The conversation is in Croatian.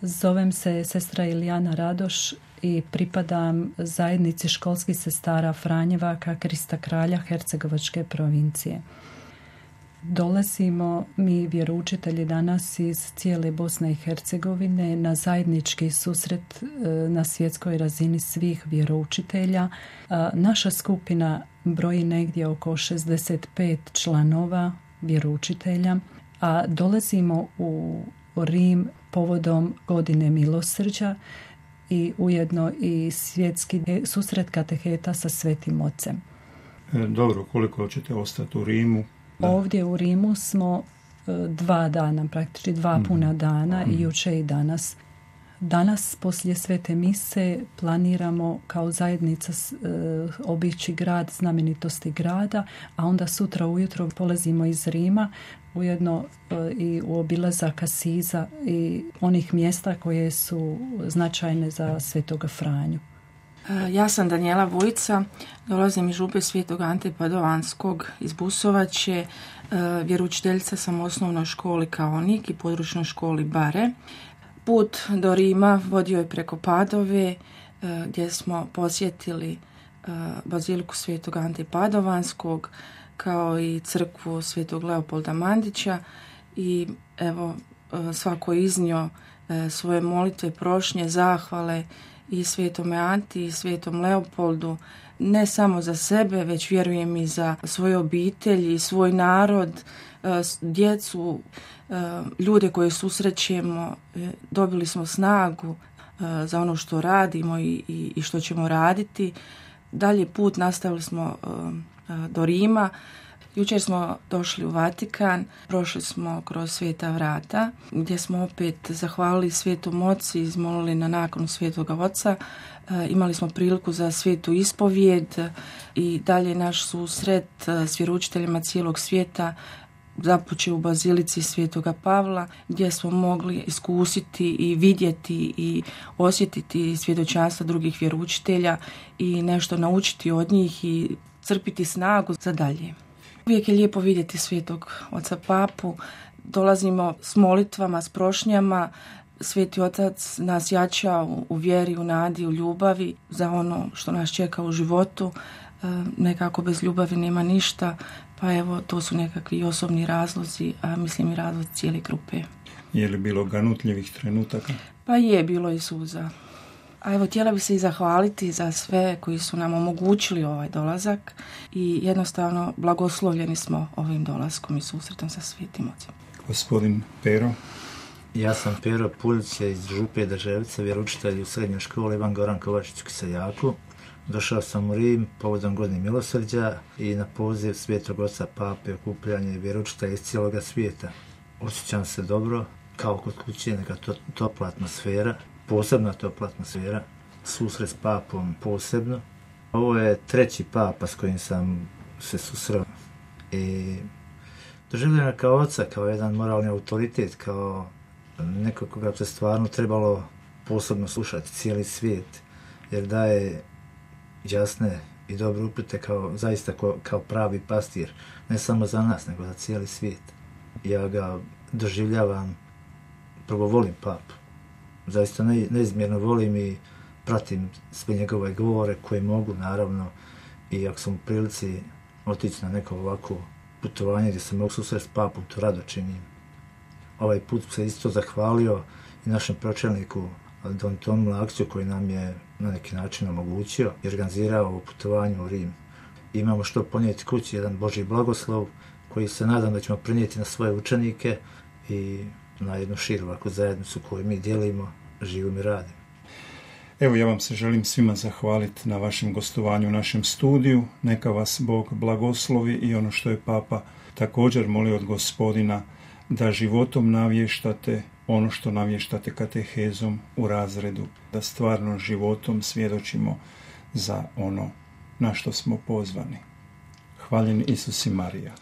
Zovem se sestra Ilijana Radoš i pripadam zajednici školskih sestara Franjevaka Krista Kralja Hercegovačke provincije. Dolazimo mi vjeroučitelji danas iz cijele Bosne i Hercegovine na zajednički susret na svjetskoj razini svih vjeroučitelja. Naša skupina broji negdje oko 65 članova vjeroučitelja, a dolazimo u Rim povodom godine milosrđa i ujedno i svjetski susret kateheta sa Svetim Ocem. Dobro, koliko ćete ostati u Rimu? Da. Ovdje u Rimu smo 2 dana, praktički 2 puna dana i jučer i danas. Danas, poslije Svete mise, planiramo kao zajednica obići grad, znamenitosti grada, a onda sutra ujutro polazimo iz Rima, ujedno i u obilazak Asiza i onih mjesta koje su značajne za Svetoga Franju. Ja sam Danijela Vujica, dolazim iz župe Svetog Ante Padovanskog iz Busovače, vjeroučiteljica sam u osnovnoj školi Kaonik i područnoj školi Bare. Put do Rima vodio je preko Padove, gdje smo posjetili baziliku Svetog Ante Padovanskog, kao i crkvu Svetog Leopolda Mandića i evo svako iznio svoje molitve, prošnje, zahvale i Svetome Anti i Svetom Leopoldu, ne samo za sebe, već vjerujem i za svoje obitelji i svoj narod, djecu, ljude koje susrećemo. Dobili smo snagu za ono što radimo i što ćemo raditi. Dalje put nastavili smo do Rima. Jučer smo došli u Vatikan, prošli smo kroz Sveta vrata, gdje smo opet zahvalili Svetom Ocu i izmolili na nakonu Svetoga Oca. Imali smo priliku za svetu ispovijed i dalje naš susret s vjeroučiteljima cijelog svijeta započeo u bazilici Svetoga Pavla, gdje smo mogli iskusiti i vidjeti i osjetiti svjedočanstva drugih vjeroučitelja i nešto naučiti od njih i crpiti snagu za dalje. Uvijek je lijepo vidjeti Svetog Oca Papu, dolazimo s molitvama, s prošnjama. Sveti Otac nas jača u vjeri, u nadi, u ljubavi za ono što nas čeka u životu. Nekako bez ljubavi nema ništa, pa evo to su nekakvi osobni razlozi, a mislim i razlozi cijele grupe. Je li bilo ganutljivih trenutaka? Pa je, bilo i suza. A evo, htjela bi se i zahvaliti za sve koji su nam omogućili ovaj dolazak i jednostavno blagoslovljeni smo ovim dolaskom i susretom sa Svetim Ocem. Gospodin Pero. Ja sam Pero Puljić iz župe Drževice, vjeroučitelj u srednjoj školi Ivan Goran Kovačić u Kiseljaku. Došao sam u Rim povodom godine milosrđa i na poziv Svetog Oca Pape okupljanje vjeroučitelja iz cijeloga svijeta. Osjećam se dobro, kao kod kuće, neka topla atmosfera, posebna topla atmosfera, susret s papom posebno. Ovo je 3. papa s kojim sam se susreo i doživljena kao oca, kao jedan moralni autoritet, kao neko koga se stvarno trebalo posebno slušati cijeli svijet, jer daje jasne i dobre upute zaista kao pravi pastir, ne samo za nas, nego za cijeli svijet. Ja ga doživljavam, prvo volim papu, zaista neizmjerno volim i pratim sve njegove govore koje mogu, naravno, i ako sam u prilici otići na neko ovako putovanje gdje se mogu susreti s papom, to rado činim. Ovaj put se isto zahvalio i našem pročelniku Don Tomu Lakću koji nam je na neki način omogućio i organizirao ovo putovanje u Rim. Imamo što ponijeti kući, jedan Božji blagoslov koji se nadam da ćemo prenijeti na svoje učenike i na jednu širu ovakvu zajednicu koju mi dijelimo, živimo i radimo. Evo, ja vam se želim svima zahvaliti na vašem gostovanju u našem studiju. Neka vas Bog blagoslovi i ono što je Papa također molio od Gospodina, da životom navještate ono što navještate katehezom u razredu, da stvarno životom svjedočimo za ono na što smo pozvani. Hvaljen Isus i Marija.